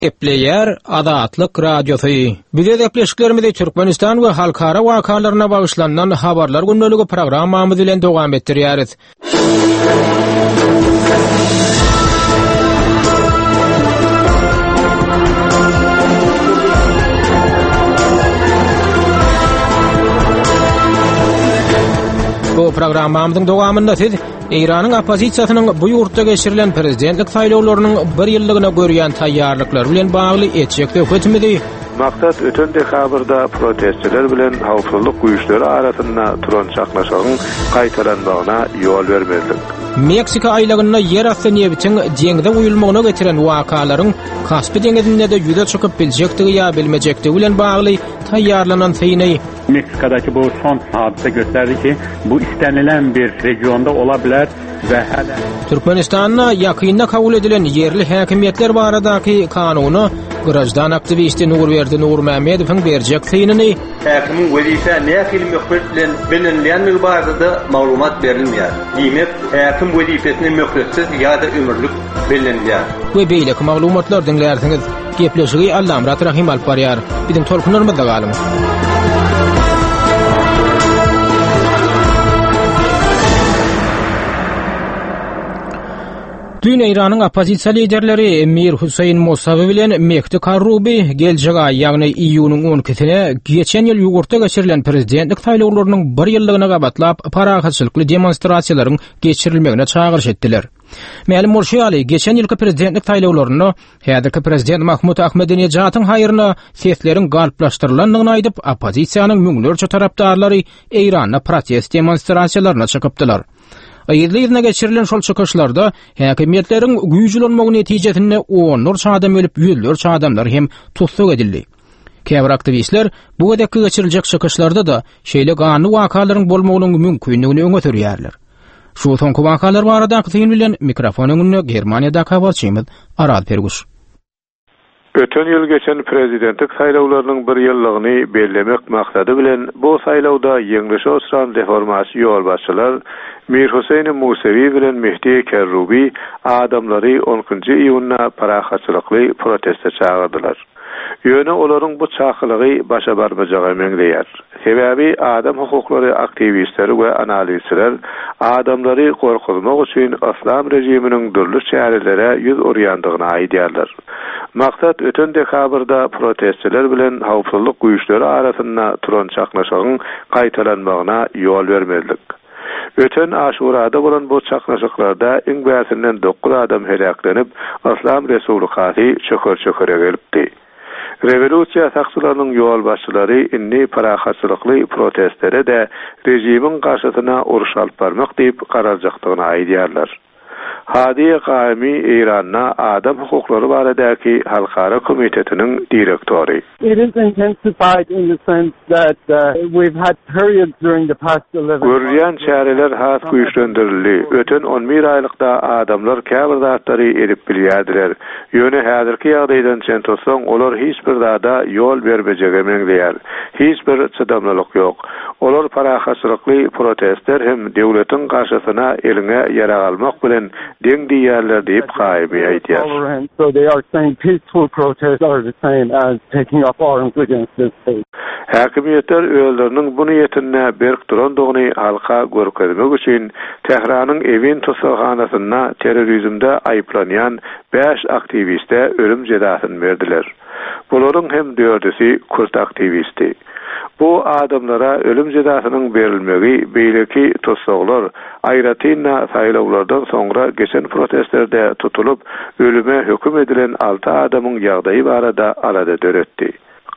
Gepleýär Azatlyk Radiosy. Biz öz gepleşiklerimizi Türkmenistan we halkara wakalaryna bagyşlanylan Habarlar gündeligi programmamyz bilen dowam etdirýäris. Bu programmamyzyň dowamynda siz Eýranyň oppozisiýasynyň bu ýurtda geçirilen prezidentlik saýlawlarynyň bir ýyllygyna görýän taýýarlyklary bilen bagly etjek söhbetimizi Maksat öten dekabrda protestçiler bilen howpsuzlyk güýçleri arasynda turan çaknyşygyň gaýtalanmagyna ýol bermezlik. Meksika aýlagynda ýerasty nebitiň deňze guýulmagyna getiren wakalaryň Kaspi deňizinde-de ýüze çykyp biljekdigi ýa bilmejekdigi bilen bagly taýýarlanan syny Meksikadakı bu son hadisə göstərdi ki, bu istənilən bir regionda ola bilər və hələ Türkmenistanda ýakynda kabul edilen ýerli häkimiýetler baradaky kanuna graždan aktiwisti Nurberdi Nurmämmedowyň berjek synyny Häkimiň wezipä nähili möhlet bilen bellenilýändigi barada-da maglumat berilmeýär. Diýmek, häkim wezipesine möhletsiz ýa-da ömürlik bellenilýär. We beýleki maglumatlary diňlärsiňiz. Gepleşigi Allamyrat Rahym alyp barýar. Biziň tolkunlarymyzda galyň. Düýn Eýranyň oppozisiýa liderleri Mir Hüseýin Musawi bilen Mehdi Karrubi geljek aý, ýagny iýunyň 12-sine geçen ýyl ýurtda geçirilen prezidentlik saýlawlarynyň bir ýyllygyna gabatlap parahatçylykly demonstrasiýalaryň geçirilmegine çagyryş etdiler. Mälim bolşy ýaly, geçen ýylky prezidentlik saýlawlarynda Häzirki prezident Mahmud Ahmedinejadyň haýryna sesleriň galplaşdyrylandygyny aýdyp, oppozisiýanyň müňlerçe tarapdarlary Eýranda protest demonstrasiýalaryna çykypdylar. Yzly-yzyna geçirilen şol çykyşlarda häkimiýetleriň güýç ulanmagy netijesinde onlarça adam ölüp, ýüzlerçe adamlar hem tussag edildi. Käbir aktiwistler bu gezekki geçiriljek çykyşlarda-da şeýle ganly wakalaryň bolmagynyň mümkindigini öňe sürýärler. Şu soňky wakalar baradaky syn bilen mikrofon öňünde Germaniýadaky habarçymyz Araz Perguş. Öten ýyl geçen prezidentlik saýlawlarynyň bir ýyllygyny bellemek maksady bilen bu saýlawda ýeňlişe uçran reformaçy ýolbaşçylar Mir Huseýni Musewi bilen Mehdi Kerrubi adamlary on ikinji iýunda parahatçylykly proteste çagyrdylar. Ýöne olaryň bu çakylygy başa barmajaga meňzeýär. Sebäbi adam hukuklary aktiwistleri we analizçiler adamlary gorkuzmak üçin yslam režiminiň dürli çärelere ýüz urýandygyny aýdýarlar. Maksat öten dekabrda protestçiler bilen howpsuzlyk güýçleri arasynda turan çaknyşygyň gaýtalanmagyna ýol bermezlik. Öten Aşurada bolan bu çaknyşyklarda iň bärsinden dokuz adam heläklenip, Yslam Respublikasy çöker-çökere gelipdi. Rewolýusiýa sakçylarynyň ýolbaşçylary indi parahatçylykly protestlere-de režimiň garşysyna uruş alyp barmak diýip garaljakdygyny aýdýarlar. Hadi Gaemi Eýranda adam hukuklary baradaky halkara komitetiniň direktory. It is intensified in the sense that we've had periods during the past eleven months. Görülýän çäreler has güýçlendirildi. Öten on bir aýlykda adamlar käbir zatlary edip bilýärdiler. Ýöne häzirki ýagdaýdan çen tutsaň, olar hiç bir zada ýol bermejege meňzeýär. Hiç bir çydamlylyk ýok. Olar parahatçylykly protestler hem döwletiň garşysyna eliňe ýarag almak bilen deň diýýärler diýip, Gaýyby aýdýar. Häkimiýetler özleriniň bu niýetinde berk durandygyny halka görkezmek üçin Tähranyň Ewin tussaghanasynda terrorizmde aýyplanýan bäş aktiwiste ölüm jezasyny berdiler. Bularyň hem dördüsi kürt aktiwisti. Bu adamlara ölüm jezasynyň berilmegi beýleki tussaglar, aýratyn-da saýlawlardan soňra geçen protestlerde tutulyp, ölüme höküm edilen alty adamyň ýagdaýy barada alada döretdi.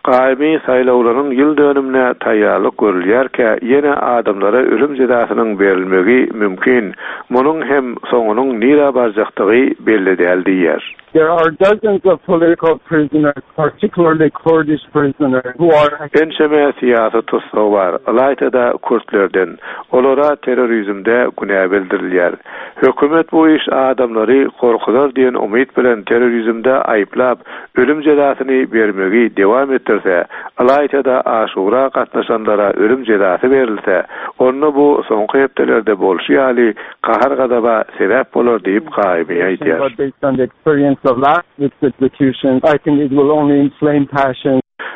Gaýymy saýlawlaryň ýyl dönümine taýýarlyk görülýärkä, ýene adamlara ölüm jezasynyň berilmegi mümkin, munuň hem soňunyň nirä barjakdygy belli däl diýýär. There are dozens of political prisoners, particularly Kurdish prisoners, who are. Ençeme syýasy tussag bar, ylaýta-da kürtlerden. Olara terrorizmde günä bildirilýär. Hökümet bu iş adamlary gorkuzar diýen umyt bilen terrorizmde aýyplap, ölüm jezasyny bermegi dowam etdirýär. etdirse, ylaýta-da Aşura gatnaşanlara ölüm jezasy berilse, onda bu soňky hepdelerde bolşy ýaly gahar-gazaba sebäp bolar diýip Gaýyby aýdýar.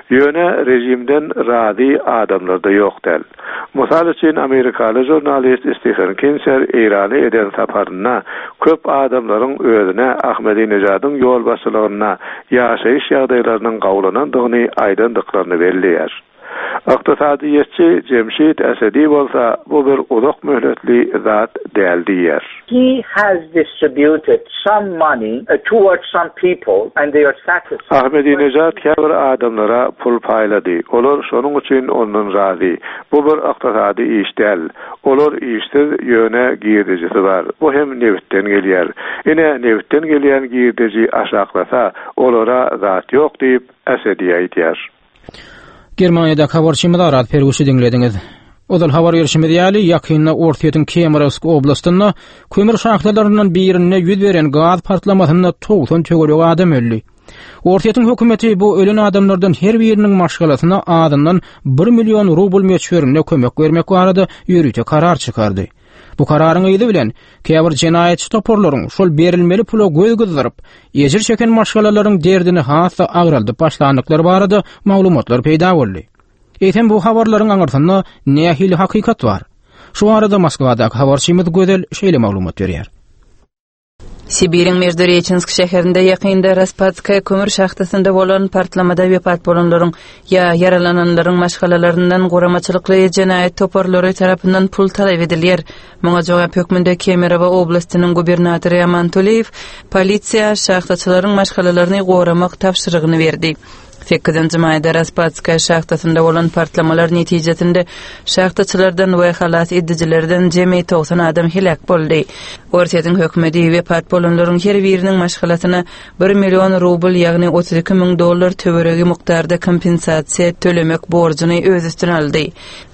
Ýöne režimden razy adamlar-da ýok däl. Mysal üçin, amerikaly žurnalist Stephen Kinser Eýrana eden saparynda köp adamlaryň özüne Ahmedinejadyň ýolbaşçylygynda ýaşaýyş ýagdaýlarynyň gowulanandygyny aýdandyklaryny belleýär. Ykdysadyýetçi Jemşit Esedi bolsa bu bir uzak möhletli zat däl diýýär. He has distributed some money towards some people and they are satisfied. Ahmedinejad käbir adamlara pul paýlady. Olar şonuň üçin ondan razy. Bu bir ykdysady iş däl. Olar işsiz, ýöne girdejisi bar. Bu hem nebitden gelýär. Ine, nebitden gelýän girdeji aşaklasa, olara zat ýok diýip, Esedi aýdýar. Germaniýadaky habarçymyz Araz Perguşy diňlediňiz. Ozal habar berşimiz ýaly, ýakynda Orsýetiň Kemerowsk oblastynda kömür şahtalaryndan birinde ýüz beren gaz partlamasynda 90 töweregi adam öldi. Orsýetiň hökümeti bu ölen adamlardan her biriniň maşgalasyna azyndan 1 million rubl möçberinde kömek bermek barada ýörite karar çykardy. Bu kararyň yzy bilen käbir jenaýatçy toparlaryň şol berilmeli pula göz gyzdyryp, ejir çeken maşgalalaryň derdini has-da agraldyp başlandyklary barada maglumatlar peýda boldy. Eýsem bu habarlaryň aňyrsynda nähili hakykat bar? Şu barada Moskwadaky habarçymyz Gözel şeýle maglumat berýär. Sibiriň Meždureçensk şäherinde ýakynda Raspadskaýa kömür şahtasynda bolan partlamada wepat bolanlaryň ýa ýaralananlaryň maşgalalaryndan guramaçylykly jenaýat toparlary tarapyndan pul talap edilýär. Muňa jogap hökmünde Kemerowo oblastynyň gubernatory Aman Tuleýew polisiýa şahtaçylaryň maşgalalaryny goramak tabşyrygyny berdi. Sekizinji maýda Raspadskaýa şahtasynda bolan partlamalar netijesinde şahtaçylardan we halas edijilerden jemi 90 adam heläk boldy. Orsýetiň hökümeti wepat bolanlaryň her biriniň maşgalasyna bir million rubl, ýagny 32 müň dollar töweregi mukdarda kompensasiýa tölemek borjuny öz üstüne aldy.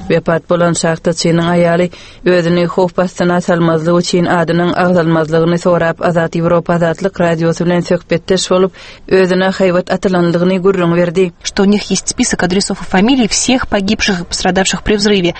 Wepat bolan şahtaçynyň aýaly özüni howp astyna salmazlyk üçin adynyň agzalmazlygyny sorap Azat Ýewropa Azatlyk Radiosy bilen söhbetdeş bolup, özüne haýbat atylandygyny gürrüň berdi. Что у них есть список адресов и фамилий всех погибших и пострадавших при взрыве.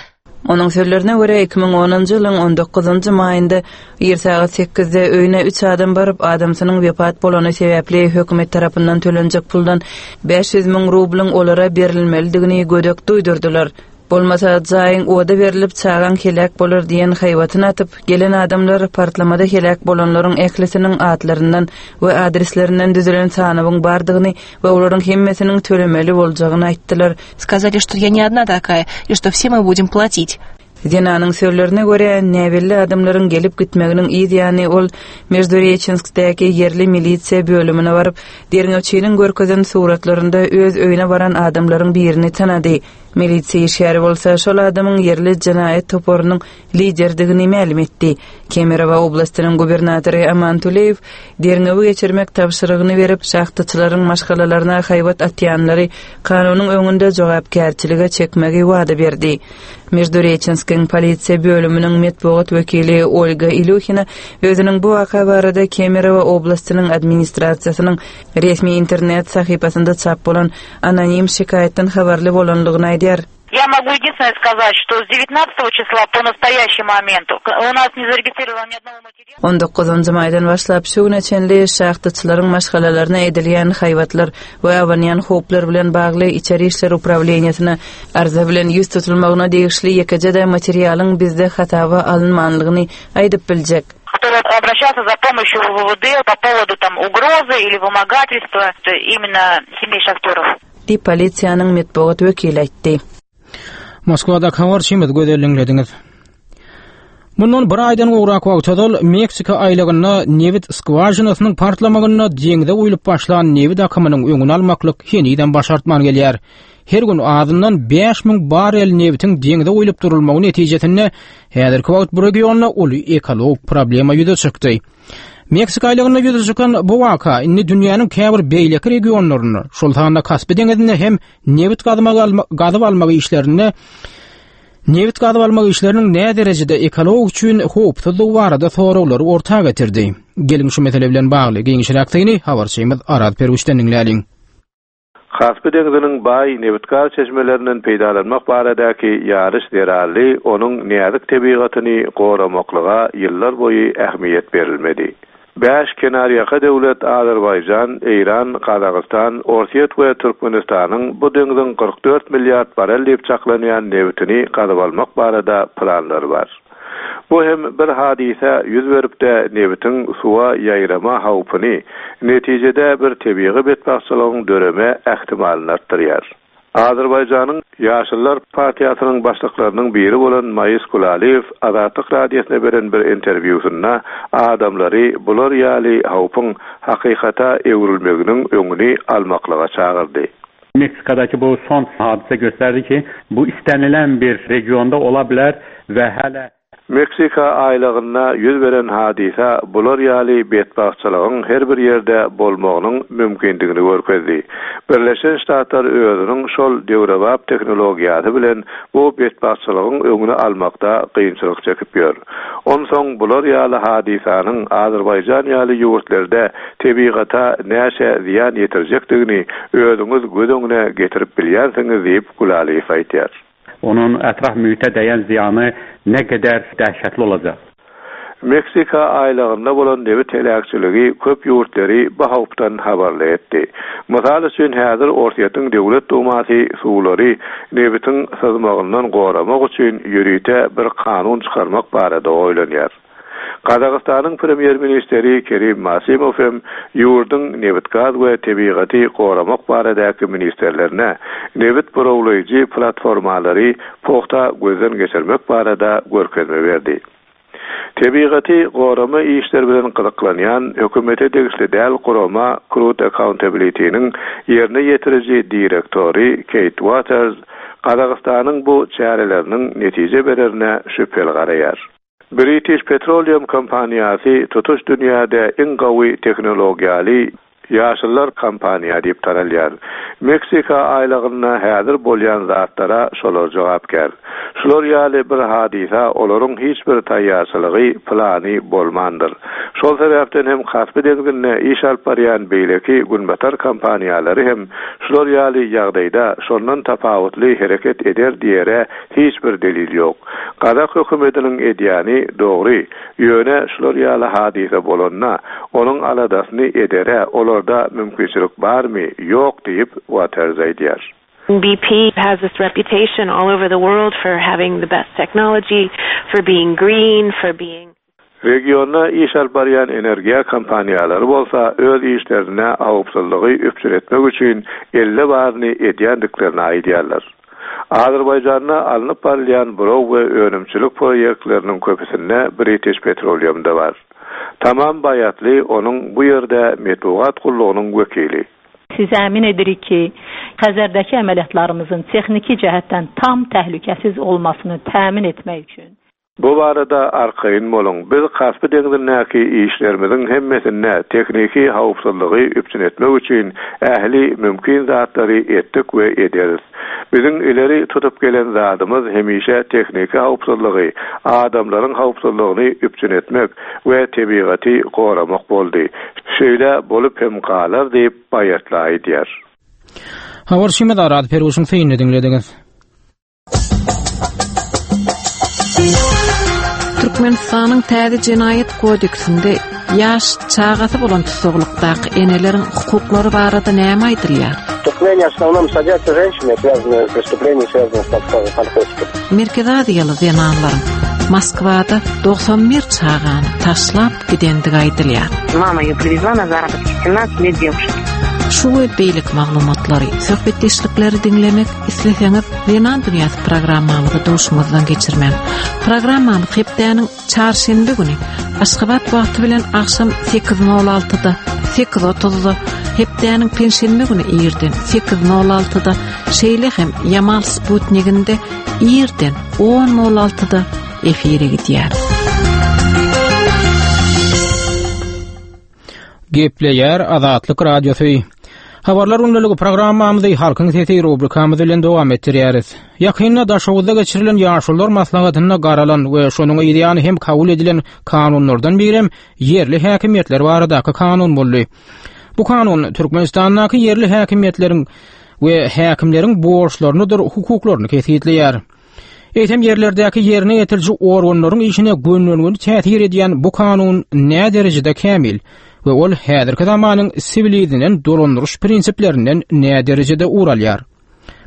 Onuň sözlerine görä, 2010-njy ýylyň on dokuzynjy maýynda ir sagat sekizde öýüne üç adam baryp, adamsynyň wepat bolany sebäpli hökümet tarapyndan tölenjek puldan 500 müň rublyň olara berilmelidigini gödek duýdurdylar. Bolmasa, jaýyň oda berlip, çagaň heläk bolar diýen haýbatyny atyp, gelen adamlar partlamada heläk bolanlaryň ählisiniň atlaryndan we adreslerinden düzülen sanawyň bardygyny we olaryň hemmesiniň tölemeli boljagyny aýtdylar. Сказали, что я не одна такая и что все мы будем платить. Zenanyň sözlerine görä, näbelli adamlaryň gelip-gitmeginiň yz ýany ol Meždureçenskdäki ýerli milisiýa bölümine baryp, derňewçiniň görkezen suratlarynda öz öýüne baran adamlaryň birini tanady. Milisiýa işgäri bolsa şol adamyň ýerli jenaýat toparynyň lideridigini mälim etdi. Kemerowo oblastynyň gubernatory Aman Tuleýew derňewi geçirmek tabşyrygyny berip, şahtaçylaryň maşgalalaryna haýbat atýanlary kanunyň öňünde jogapkärçilige çekmegi wada berdi. Meždureçenskiň polisiýa bölüminiň metbugat wekili Olga Ilýuhina özüniň bu waka barada Kemerowo oblastynyň administrasiýasynyň Resmi internet sahypasynda çap bolan anonim şikaýatdan habarly bolanlygyny aýdýar. Я могу единственное сказать, что с девятнадцатого числа по настоящий момент у нас не зарегистрировано ни одного материала. On dokuzynjy maýdan başlap şu güne çenli şahtaçylaryň maşgalalaryna edilýän haýbatlar we abanýan howplar bilen bagly Içeri işler uprawleniýesine arza bilen ýüz tutulmagyna degişli ýekeje-de materialyň bizde hasaba alynmanlygyny aýdyp biljek. Который обращался за помощью в УВД по поводу там угрозы или вымогательства именно семей шахтеров. Diýip, polisiýanyň metbugat wekili aýtdy. Moskwadaky habarçymyz Gözel diňlediňiz. Mundan bir aýdan gowrak wagt ozal Meksika aýlagynda nebit skwažinasynyň partlamagynda deňze guýlup başlan nebit akymynyň öňüni almaklyk henizem başartman gelýär. Her gün azyndan 5000 barrel nebitiň deňze guýlup durulmagy netijesinde häzirki wagt bu regionda uly ekologik problema ýüze çykdy. Meksika aýlagynda ýüze çykan bu waka indi dünýäniň käbir beýleki regionlarynda, şol sanda Kaspi deňizinde hem nebit gazyp almak işlerinde nebit gazyp almak işleriniň näderejede ekologik üçin howpsuzdygy barada soraglary orta getirdi. Geliň şu mesele bilen bagly giňişräk syny habarçymyz Araz Perwişden diňläliň. Kaspi deňziniň baý nebit-gaz çeşmelerinden peýdalanmak baradaky ýaryş zerarly onuň näzik tebigatyny goramaklyga ýyllar boýy ähmiýet berilmedi. Bäş kenarýaka döwlet Azerbaýjan, Eýran, Gazagystan, Orsýet we Türkmenistanyň bu deňziň 44 milliard barel diýip çaklanýan nebitini gazyp almak barada planlary bar. Bu hem bir hadysa ýüz berip-de nebitiň suwa ýaýrama howpuny, netijede bir tebigy betbagtçylygyň döreme ähtimalyny artdyrýar. Azerbaýjanyň Ýaşyllar partiýasynyň başlyklarynyň biri bolan Maýis Gulaliýew Azatlyk Radiosyna beren bir interwýusynda adamlary bular ýaly howpuň hakykata öwrülmeginiň öňüni almaklyga çagyrdy. Meksikadakı bu son hadisə göstərdi ki, bu istənilən bir regionda ola bilər və hələ Meksika aýlagynda ýüz beren hadysa bular ýaly betbagtçylygyň her bir ýerde bolmagynyň mümkindigini görkezdi. Birleşen Ştatlar özüniň şol döwrebap tehnologiýasy bilen bu betbagtçylygyň öňüni almakda kynçylyk çekip ýör. Onsoň bular ýaly hadysanyň Azerbaýjan ýaly ýurtlerde tebigata näçe zyýan ýetirjekdigini özüňiz göz öňüne getirip bilýänsiňiz diýip, Gulaliýew aýdýar. Onun ətraf mühitə dəyən ziyanı nə qədər dəhşətli olacaq. Meksika aýlagynda bolan nebit heläkçiligi köp ýurtlary bu howpdan habarly etdi. Mysal üçin, häzir Orsýetiň Döwlet Dumasy suwlary nebitiň syzmagyndan goramak üçin ýörite bir kanun çykarmak barada oýlanýar. Gazagystanyň premýer-ministri Kerim Masimow hem ýurduň nebit-gaz we tebigaty goramak baradaky ministrlerine nebit burawlaýjy platformalary pugta gözden geçirmek barada görkezme berdi. Tebigaty gorama işleri bilen gyzyklanýan hökümete degişli däl gurama Crude Accountability-niň ýerine ýetiriji direktory Keýt Uoters Gazagystanyň bu çäreleriniň netije bererine şübheli garaýar. British Petroleum kompaniýasy tutuş dünýäde iň gowy tehnologiýaly Ýaşyllar kompaniýa diýip tanalýar. Meksika aýlagynda häzir bolýan zatlara şolar jogapkär. Şular ýaly bir hadysa olaryň hiç bir taýýarçylygy, plany bolmandyr. Şol sebäpden hem Kaspi deňzinde iş alyp barýan beýleki günbatar kompaniýalary hem şular ýaly ýagdaýda şondan tapawutly hereket eder diýere hiç bir delil ýok. Gazak hökümetiniň edýäni dogry, ýöne şular ýaly hadysa bolanda, onuň aladasyny edere olarda mümkinçilik barmy, ýok diýip, Waters aýdýar. BP has this reputation all over the world for having the best technology, for being green, for being. Regionda iş alyp barýan energiýa kompaniýalary bolsa öz işlerinde howpsuzlygy üpjün etmek üçin elde baryny edýändiklerini aýdýarlar. Azerbaýjanda alnyp barylýan buraw we önümçilik proýektleriniň köpüsinde British Petroleum-da bar. Tamam Baýatly onuň bu ýerde metbugat gullugynyň wekili. Sizi əmin edirik ki, Xəzərdəki əməliyyatlarımızın texniki cəhətdən tam təhlükəsiz olmasını təmin etmək üçün, Bu barada arkaýyn boluň, biz Kaspi deňzindäki işlerimiziň hemmesinde tehniki howpsuzlygy üpjün etmek üçin ähli mümkin zatlary etdik we ederis. Biziň ileri tutup gelen zadymyz hemişe tehniki howpsuzlygy, adamlaryň howpsuzlygyny üpjün etmek we tebigaty goramak boldy. Şeýle bolup hem galar diýip, Baýatly aýdýar. Habarçymyz Araz Perwişiň synyny diňlediňiz. Türkmenistanyň täze jenaýat kodeksinde ýaş çagasy bolan tussaglykdaky eneleriň hukuklary barada näme aýdylýar? Преступления в основном садятся женщины, связанные преступления, связанные с наркотиками. Merkezi Aziýaly zenanlaryň Moskwada 91 çagany taşlap gidendigi aýdylýar. Mama ее привезла на заработки 17 лет девушке. Şu we beýleki maglumatlary, söhbetdeşlikleri diňlemek isleseňiz, Zenan dünýäsi programmamyzy duşuňyzdan geçirmäň. Programmamyz hepdäniň çarşenbe güni Aşgabat wagty bilen agşam 8:06-da, 8:30-da, hepdäniň penşenbe güni irden 8:06-da, şeýle hem Ýamal Sputniginde irden 10:06-da efire gidýär. Gepleýär Azatlyk Radiosy. Habarlar gündeligi programmamyzy Halkyň sesi rubrikamyz bilen dowam etdirýäris. Ýakynda Daşoguzda geçirilen ýaşulular maslahatynda garalan we şonuň yzýany hem kabul edilen kanunlardan birem ýerli häkimiýetler baradaky kanun boldy. Bu kanun Türkmenistandaky ýerli häkimiýetleriň. we häkimleriň borçlarynydyr hukuklaryny kesgitleýär. Eýsem ýerlerdäki ýerine ýetiriji organlaryň işine gönden-göni täsir edýän bu kanun näderejede kämil we ol häzirki zamanyň siwilizlenen dolandyryş prinsiplerinden näderejede ugur alýar?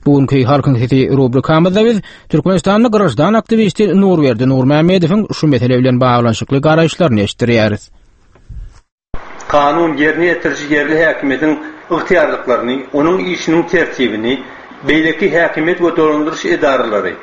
Bu günki Halkyň sesi rubrikamyzda biz Türkmenistanly graždan aktiwisti Nurberdi Nurmämmedowyň şu mesele bilen baglanyşykly garaýyşlaryny eşitdirýäris. Kanun ýerine ýetiriji ýerli häkimiýetiň ygtyýarlyklaryny, onuň işiniň tertibini, beýleki häkimiýet we dolandyryş edaralary,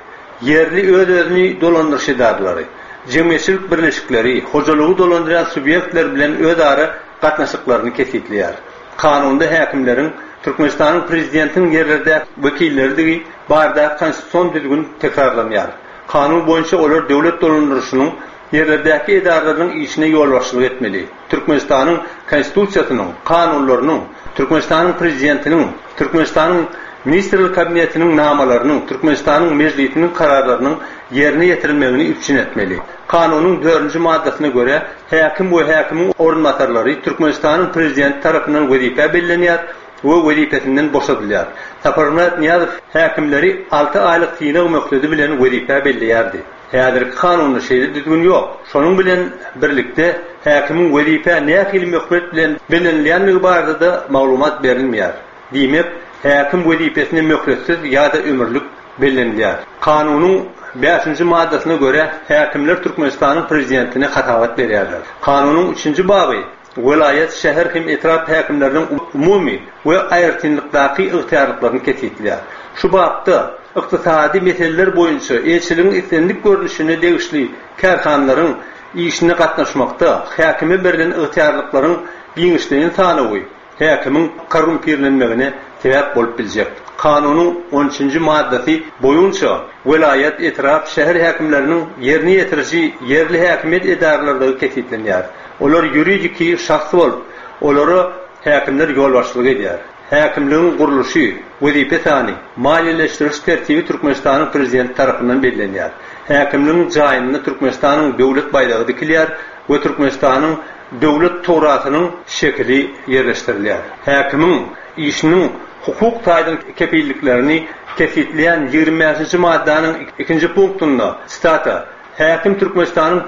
ýerli öz-özüni dolandyryş edaralary, jemgyýetçilik birleşikleri, hojalygy dolandyrýan subýektler bilen özara gatnaşyklaryny kesgitleýär. Kanunda häkimleriň Türkmenistanyň Prezidentiniň ýerlerdäki wekilleridigi baradaky konstitusion düzgün tekrarlanýar. Kanun boýunça olar döwlet dolandyryşynyň ýerlerdäki edaralarynyň işine ýolbaşçylyk etmeli. Türkmenistanyň Konstitusiýasynyň, kanunlarynyň, Türkmenistanyň Prezidentiniň, Türkmenistanyň Ministrler Kabinetiniň namalarynyň, Türkmenistanyň Mejlisiniň kararlarynyň ýerine ýetirilmegini üpjün etmeli. Kanunyň dördünji maddasyna görä, häkim we häkimiň orunbasarlary Türkmenistanyň Prezidenti tarapyndan wezipä bellenýär we wezipesinden boşadylýar. Saparmyrat Nyýazow häkimleri alty aýlyk synag möhledi bilen wezipä belleýärdi. Häzirki kanunda şeýle düzgün ýok. Şonuň bilen birlikde, häkimiň wezipä nähili möhlet bilen bellenilýändigi barada-da maglumat berilmeýär. Diýmek, häkim wezipesine möhletsiz ýa-da ömürlik bellenilýär. Kanunyň bäşinji maddasyna görä, häkimler Türkmenistanyň Prezidentine hasabat berýärler. Kanunyň üçünji baby welaýat, şäher hem etrap häkimleriniň umumy we aýratynlykdaky ygtyýarlyklaryny kesgitleýär. Şu bapda ykdysady meseleler boýunça eýeçiligiň islendik görnüşine degişli kärhanalaryň işine gatnaşmakda häkime berlen ygtyýarlyklaryň giňişleýin sanawy häkimiň korrumpirlenmegine sebäp bolup biljek Kanunyň on üçünji maddasy boýunça welaýat, etrap, şäher häkimleriniň ýerine ýetiriji ýerli häkimiýet edaralarydygy kesgitlenýär. Olar ýuridiki şahs bolup, olara häkimler ýolbaşçylyk edýär. Häkimligiň gurluşy, wezipe sany, maliýeleşdiriş tertibi Türkmenistanyň Prezidenti tarapyndan bellenýär. Häkimligiň jaýynda Türkmenistanyň Döwlet baýdagy dikilýär we Türkmenistanyň Döwlet tugrasynyň şekili ýerleşdirilýär. Häkimiň işiniň hukuk taýdan kepilliklerini kesgitleýän 25-nji maddanyň ikinji punktynda, sitata, Häkim Türkmenistanyň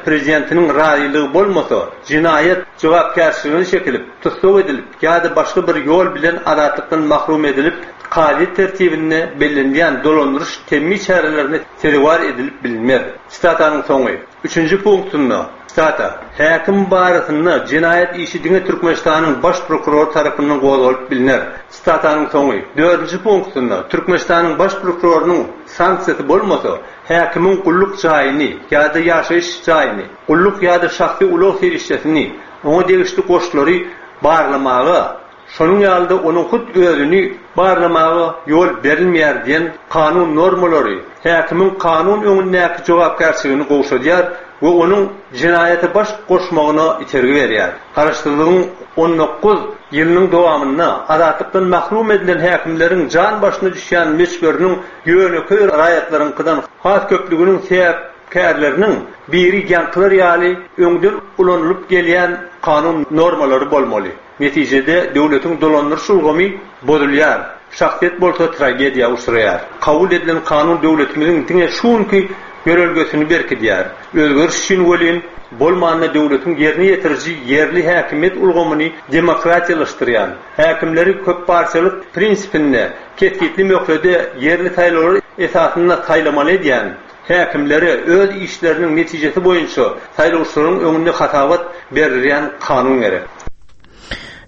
Prezidentiniň razylygy bolmasa, jenaýat jogapkärçiligine çekilip, tussag edilip ýa-da başga bir ýol bilen azatlykdan mahrum edilip, kazyýet tertibinde bellenilýän dolandyryş temmi çärelerine sezewar edilip bilinmez. Sitatanyň soňy. Üçünji punktynda, sitata, Häkim barasynda jenaýat işi diňe Türkmenistanyň Baş prokurory tarapyndan gozgalyp bilner. Sitatanyň soňy. Dördünji punktynda, Türkmenistanyň Baş prokurorynyň sanksiýasy bolmasa, häkimiň gulluk jaýyny ýa-da ýaşaýyş jaýyny, gulluk ýa-da şahsy ulag serişdesini, oňa degişli goşlary barlamaga, şonuň ýaly-da onuň hut özüni barlamaga ýol berilmeýär diýen kanun normalary häkimiň kanun öňündäki jogapkärçiligini gowşadýar we onuň jenaýata baş goşmagyna itergi berýär. Garaşsyzlygyň 19 ýylynyň dowamynda azatlykdan mahrum edilen häkimleriň jan başyna düşýän möçberiniň ýönekeý raýatlaryňkydan has köplüginiň sebäpkärleriniň biri ýaňkylar ýaly öňden ulanylyp gelýän kanun normalary bolmaly. Netijede döwletiň dolandyryş ulgamy bozulýar, şahsyýet bolsa tragediýa uçraýar. Kabul edilen kanun döwletimiziň diňe şu günki ýörelgesini berkidýär. Özgeriş üçin welin, bolmanda döwletiň ýerine ýetiriji ýerli häkimiýet ulgamyny demokratiýalaşdyrýan, häkimleri köppartiýalyk prinsipinde kesgitli möhlede ýerli saýlawlar esasynda saýlamaly edýän häkimlere öz işleriniň netijesi boýunça saýlawçylaryň öňünde hasabat berdirýän kanun gerek.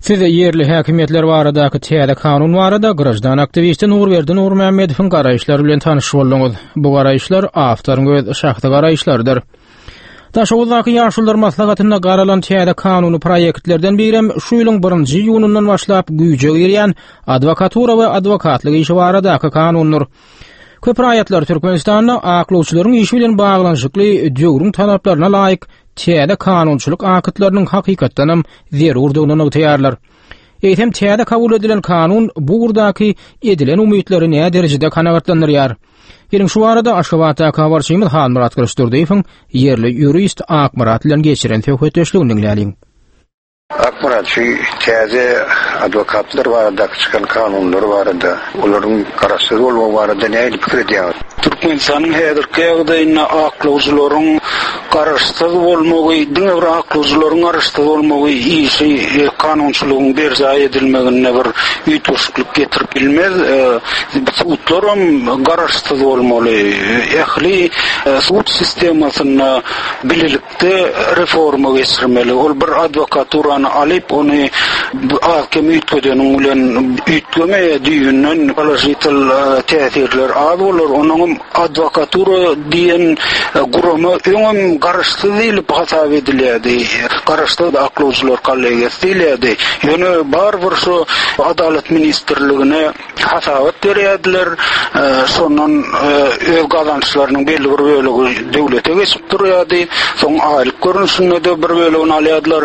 Siz ýerli häkimiýetler baradaky täze kanun barada graždan aktiwisti Nurberdi Nurmämmedowyň garaýyşlary bilen tanyş bolduňyz. Bu garaýyşlar awtoryň öz şahsy garaýyşlarydyr. Daşoguzdaky Ýaşulular maslahatynda garalan täze kanuny proýektlerden birem şu ýylyň birinji iýunyndan başlap güýje girýän adwokatura we adwokatlyk işi baradaky kanundyr. Köp raýatlar Türkmenistanda aklawçylaryň işi bilen baglanyşykly döwrüň talaplaryna laýyk täze kanunçylyk aktlarynyň hakykatdanam zerurdygyny nygtaýarlar. Eýsem täze kabul edilen kanun bu ugurdaky edilen umytlary näderejede kanagatlandyrýar? Geliň şu barada Aşgabatdaky habarçymyz Halmyrat Gylyçdurdyýewiň ýerli ýurist Akmyrat bilen geçiren söhbetdeşligini diňläliň. Akmyrat, şu täze adwokatlar baradaky çykan kanunlar barada, olaryň garaşsyz bolmagy barada nähili pikir edýäňiz? Türkmenistanyň häzirki ýagdaýynda aklawjylaryň garaşsyz bolmagy, diňe bir aklawjylaryň garaşsyz bolmagy işi kanunçylygyň berjaý edilmeginde bir üýtgeşiklik getirip bilmez. Sudlaram garaşsyz bolmaly. Ähli sud sistemasynda bilelikde reforma geçirmeli. Ol bir adwokaturany alyp, ony az-kem üýtgedeniň bilen üýtgemeýär, düýbünden položitel täsirler az bolar. Onuňam adwokatura diýen gurama öňem garaşsyz diýlip hasap edilýärdi. Garaşsyz aklawjylar kollegiýasy diýilýärdi. Ýöne barybir şu Adalat ministrligine hasabat berýärdiler. Şondan öz gazançlarynyň belli bir bölegi döwlete geçip durýardy. Soň aýlyk görnüşinde-de bir bölegini alýardylar.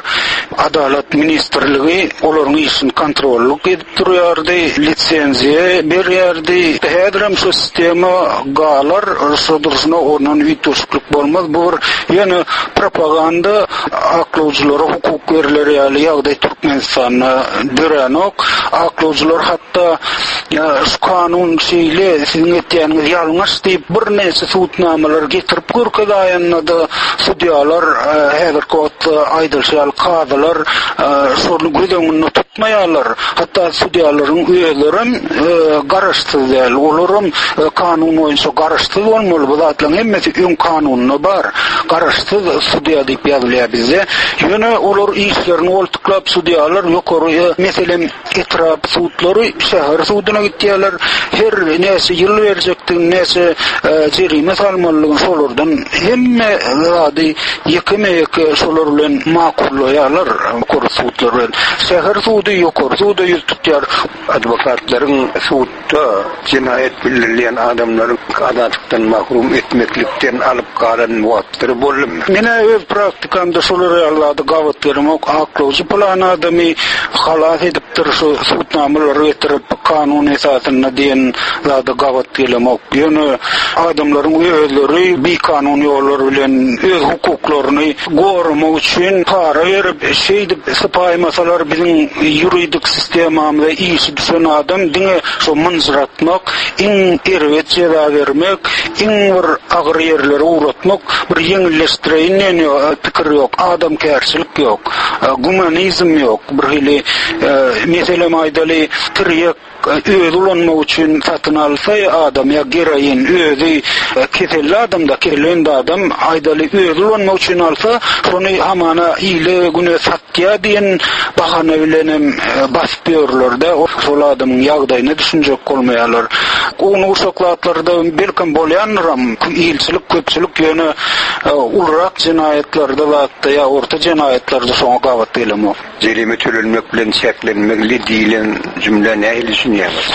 Adalat ministrligi olaryň işini kontrollyk edip durýardy, lisenziýa berýärdi. Häzirem şu sistema galar, şu durşuna ondan üýtgeşiklik bolmaz. Bu bir ýöne propaganda, aklawjylara hukuk berler ýaly ýagdaý Türkmenistanda döränok. Aklawjylar hatda şu kanun şeýle, siziň etýäniňiz ýalňyş diýip birnäçe subutnamalary getirip görkezaýanda-da sudýalar häzirki wagtda aýdylyşy ýaly kazylar şony göz öňünde tutmaýarlar. Hatda sudýalaryň özlerem garaşsyz däl. Olaram kanun boýunça garaşsyz bolmaly. Bu zatlaryň hemmesi öň kanunda bar. Garaşsyz sudýa diýip ýazylýar bizde. Ýöne olar işlerini goltuklap sudýalar ýokary, meselem, etrap sudlary şäher suduna gitýärler. Her näçe ýyl berjekdigini, näçe jerime salmalydygyny şolardan hemme zady ýekeme-ýeke şolar bilen makullaýarlar, ýokary sudlar bilen. Şäher sudy ýokary suda ýüz tutýar. Adwokatlaryň sudda jenaýat bildirilýän adamlary azatlykdan mahrum etmeklikden alyp galan wagtlary boldumy? Men-ä öz praktikamda şolar ýaly zada gabat gelemok. Aklawjy pylan adamy halas edipdir şu subutnamalary getirip kanun esasynda diýen zada gabat gelemok. Ýöne adamlaryň özleri bikanun ýollar bilen öz hukuklaryny goramak üçin para berip şeýdip sypaýmasalar biziň ýuridik sistemamyza işi düşen adam diňe şo mynjyratmak, iň erbet jeza bermek, iň bir agyr ýerlere ugratmak, bir ýeňilleşdireýin diýen pikir ýok, adamkärçilik ýok, gumanizm ýok, birhili meselem aýdaly tirýek özi ulanmak üçin satyn alsa adam ýa geroin özi keselli adamda keselli adam aýdaly özi ulanmak üçin alsa şony hamana ile güne satýa diýen bahana bilenem basyp ýörlerde şol adamyň ýagdaýyna düşünjek bolmaýarlar. Ownuk uşak zatlarda belkem bolýandyram ilçilik köpçülik ýöne ulurak jenaýatlarda zatda ýa orta jenaýatlarda şoňa gabat gelemok. Jerime tölenmek bilen çäklenmegli diýlen jümlä nähili düşünýäňiz?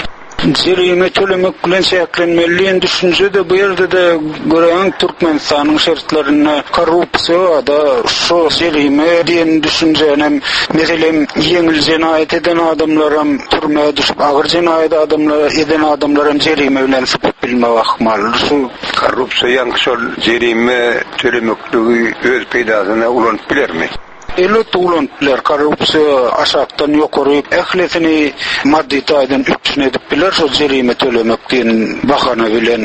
Jerime tölemek bilen çäklenmeli diýen düşünje-de bu ýerde-de göräýiň Türkmenistanyň şertlerinde korrupsiýa bar-da, şo jerime diýen düşünjänem meselem ýeňil jenaýat eden adamlaram türmä düşüp agyr jenaýat adamlar eden adamlaram jerime bilen sypyp bilmegi ahmal. Şu Korrupsiýa ýaňky şol jerime tölemekligi öz peýdasyna ulanyp bilermi? Elbetde ulanyp biler. Korrupsiýa aşakdan ýokary ählisini maddy taýdan üpjün edip biler şol jerime tölemek diýen bahana bilen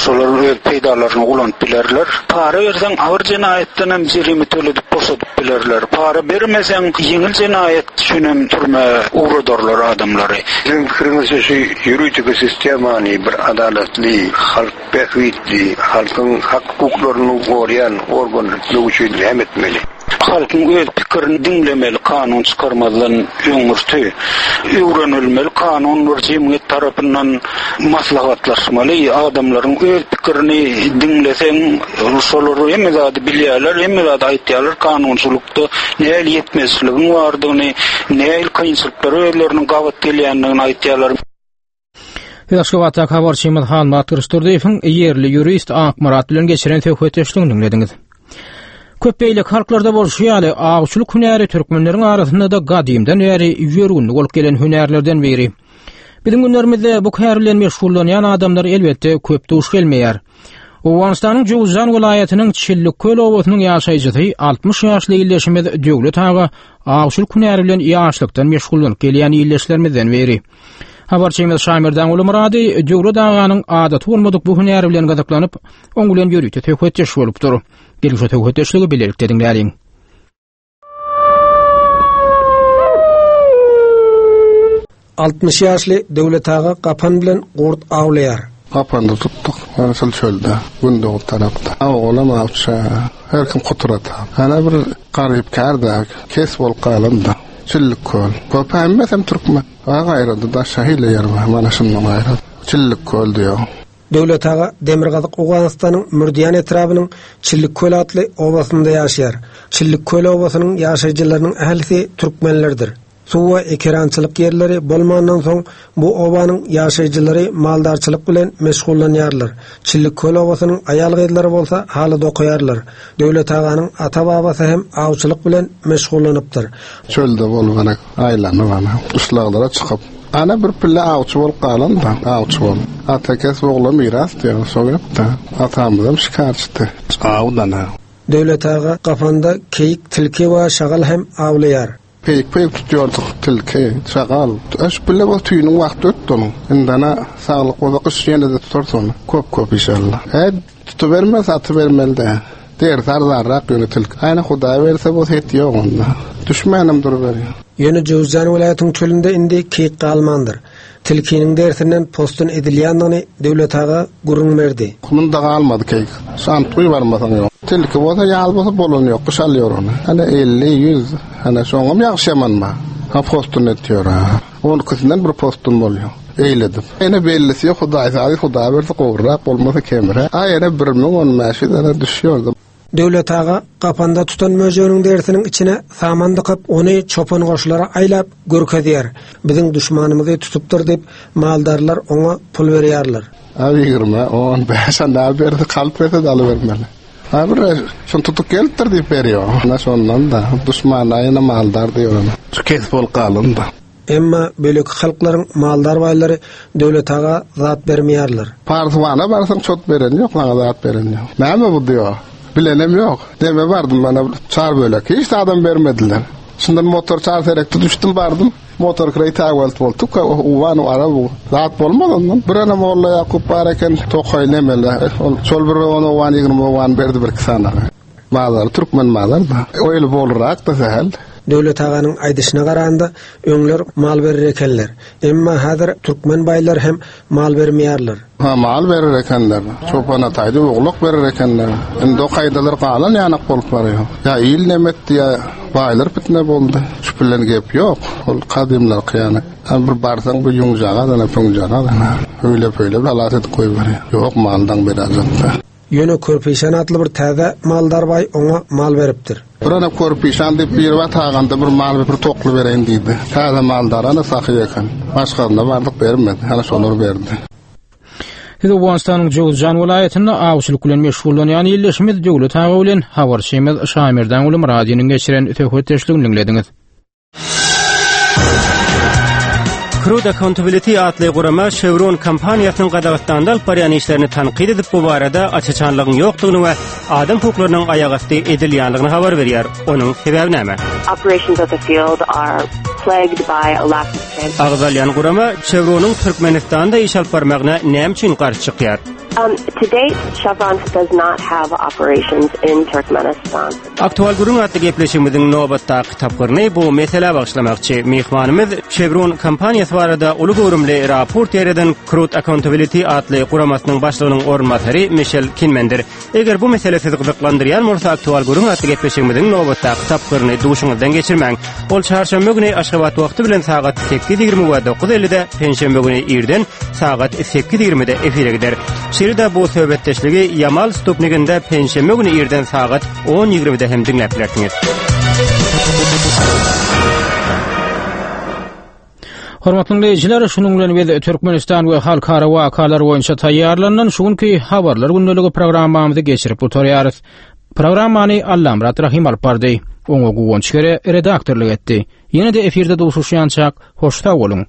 şolar öz peýdalaryna ulanyp bilerler. Para berseň agyr jenaýatdan hem jerime töledip boşadyp bilerler. Para bermeseň ýeňil jenaýat üçin hem türmä ugradarlar adamlary. Siziň pikiriňizçe şu ýuridiki sistemany bir adalatly, halk Bähbitli, halkyň hak-hukuklaryny goraýan organ etmek üçin näme etmeli? Halkyň öz pikirini diňlemeli kanun çykarmazdan öňürti. Öwrenilmeli kanun bir jemgyýet tarapyndan maslahatlaşmaly. Adamlaryň öz pikirini diňleseň şolar hemme zady bilýärler, hemme zady aýtýarlar kanunçylykda nähili ýetmezçiligiň bardygyny, nähili kynçylyklara özleriniň gabat gelýändigini aýtýarlar. Siz Aşgabatdaky habarçymyz Halmyrat Gylyçdurdyýewiň ýerli ýurist Akmyrat bilen geçiren söhbetdeşligini diňlediňiz. Köp beýleki halklarda bolşy ýaly, awçylyk hünäri türkmenleriň arasynda-da gadymdan bäri ýörgünli bolup gelen hünärlerden biri. Biziň günlerimizde bu kär bilen meşgullanýan adamlar elbetde köp duş gelmeýär. Owganystanyň Jowuzjan welaýatynyň Çilliköl obasynyň ýaşaýjysy 60 ýaşly ildeşimiz Döwlet aga. Awçylyk hünäri bilen ýaşlykdan meşgullanyp gelýän ildeşlerimizden biri. Habarçymyz Şaýmerdan Gulumyrady Döwlet aganyň adaty bolmadyk bu hünäri bilen gyzyklanyp, oň bilen ýörite söhbetdeş bolupdyr. Geliň şu söhbetdeşligi bilelikde diňläliň. 60 ýaşly Döwlet aga gapan bilen gurt awlaýar. Gapanda tutduk. Mana şol çölde, gündogar tarapda. Olam awçy, her kim kuturata. Ana bir garyp kär-dä, kes bolup galan-da. Çillik köl. Köp hemmesem türkmen. A gaýrada daşa hile ýer bar, mana şundan gaýra. Çillik köl diýýär. Döwlet aga Demirgazyk Owganystanyň Mürdiýan etrabynyň Çillik köl atly obasynda ýaşaýar. Çillik köl obasynyň ýaşaýjylarynyň ählisi türkmenlerdir. Suw we ekerançylyk ýerleri bolmandan soň, bu obanyň ýaşaýjylary maldarçylyk bilen meşgullanýarlar. Çillikköl obasynyň aýal-gyzlary bolsa haly dokaýarlar. Döwlet aganyň ata-babasy hem awçylyk bilen meşgullanypdyr. Çölde bolup ana, aýlanyp ana, gyşlaglara çykyp, ana bir pille awçy bolup galan-da, awçy bolup. Ata kesp ogla miras diýýär, şo gep-dä. Atamyzam şikarçydy. Awdan-a. Döwlet aga gapanda keýik, tilki we şagal hem awlaýar. Peýik-peýik tutýardyk, tilki, şagal. Şu pille bolsa tüýüniň wagty ötdi onuň. Indi ana, saglyk bolsa gyş ýene-de tutarys ony. Köp-köp inşallah. Hä, tutubermez, atybermeli-dä. Derisi arzanrak ýöne tilki. Aýna Hudaý berse bolsa et ýok onda. Düşmänem duruberýär. Ýöne Jöwüzjan welaýatyň çölünde indi keýik galmandyr. Tilkiniň derisinden possun edilýändigini Döwlet aga gürrüň berdi. Munda galmady keýik. Şantguý barmasaň ýok. Tilki bolsa, ýaz bolsa bolany ýok. Gyş alýar ony. Hany 50, 100. Hany şoňam ýagşy ýaman bar. Ha possun etýär. On ikisinden bir possun bolýar. Eýledip. Ene bellisi ýok, Hudaý sazy, Hudaý berse gowurak, bolmasa kemräk. A ýene 1000, 1500 ene düşýär. Döwlet aga gapanda tutan möjeginiň derisiniň içine saman dykyp, ony çopan goşlara aýlap görkezýär. Biziň duşmanymyzy tutupdyr diýip, maldarlar oňa pul berýärler. A ýigrimi, on bäş, a näme berse, kalp berse-de alybermeli. A bir şuny tutup gelipdir diýip berýär. Ana şondan-da, duşmana ýene maldar diýip. Şu kesip bolup galan-da. Emma beýleki halklaryň maldar baýlary Döwlet aga zat bermeýärler. Parswana barsaň çot beren ýok, maňa zat beren ýok. Näme bu diýo. Bilenem ýok. Deme bardym mana çar bölek. Hiç zadam bermediler. Şundan motor çar serekde düşdüm bardym. Motor kireý täwelt boldy. Tuka uwan ara bu. Zat bolmaz ondan. Bir ene Molla Ýakup bar eken tokaý nemele. Ol şol bir on owan 20 owan berdi bir iki sany. Bazary türkmen bazary-da. O eli bolrak-da sähel. Döwlet aganyň aýdyşyna garanda, öňler mal berer ekenler. Emma häzir türkmen baýlary hem mal bermeýärler. Ha, mal berer ekenler. Çopan ataýdy, oglak berer ekenler. Indi o kaýdalar galan ýanak bolup barýar. Ýa il neme etdi, ýa baýlar pitne boldy. Şu bilen gep ýok. Ol kadymlarky ýaly. Ha, bir barsaň bir ýüňjagaz, ana püňjagaz, ana öýle-pöýle bir halas edip goýberýär. Ýok, maldan berajakda. Ýöne Körpişan atly bir täze maldar baý oňa mal beripdir. Bir ana Körpişan diýip biri bar taganda bir mal bir tokly bereýin diýdi. Täze maldar ana sahy eken. Başgasyna bardyk bermedi. Ana şolar berdi. Siz Owganystanyň Jowzjan welaýatynda awçylyk bilen meşgullanýan ildeşimiz Döwlet aga bilen habarçymyz Şaýmerdanguly Myradynyň geçiren söhbetdeşligini diňlediňiz. Crude Accountability atly gurama Chevron kompaniýasynyň Gazagystanda alyp barýan işlerini tankyt edip, bu barada aç-açanlygyň ýokdugyny we adam hukuklarynyň aýagasty edilýändigini habar berýär. Onuň sebäbi näme? Operations at the field are plagued by a lack of Agzalýan gurama Chevronyň Türkmenistanda iş alyp barmagyna näme üçin garşy çykýar? Um, to date, Chevron does not have operations in Turkmenistan. Aktual gürrüň atly gepleşigimiziň nobatdaky tapgyryny bu meselä bagyşlamakçy. Myhmanymyz Chevron kompaniýasy barada uly göwrümli raport ýaýradan Crude Accountability atly guramasynyň başlygynyň orunbasary Mişel Kinmendir. Eger bu mesele sizi gyzyklandyrýan bolsa, Aktual gürrüň atly gepleşigimiziň nobatdaky tapgyryny duşuňyzdan geçirmäň. Ol çarşenbe güni Aşgabat wagty bilen sagat 8:20 we 9:50-de, penşenbe güni irden sagat 8:20-de efire gider. Şeýle-de bu söhbetdeşligi Ýamal Stupniginde penşenbe güni irden sagat 10:20-de hem diňläp bilersiňiz. Hormatly diňleýjiler, şunuň bilen biz Türkmenistan we halkara wakalar boýunça taýýarlanylan şu günki habarlar gündeligi programmamyzy geçirip gutarýarys. Programmany Allamyrat Rahym alyp bardy. Oňa Guwanç Gere redaktorlyk etdi. Ýene-de efirde duşuşýançak, hoş sag boluň.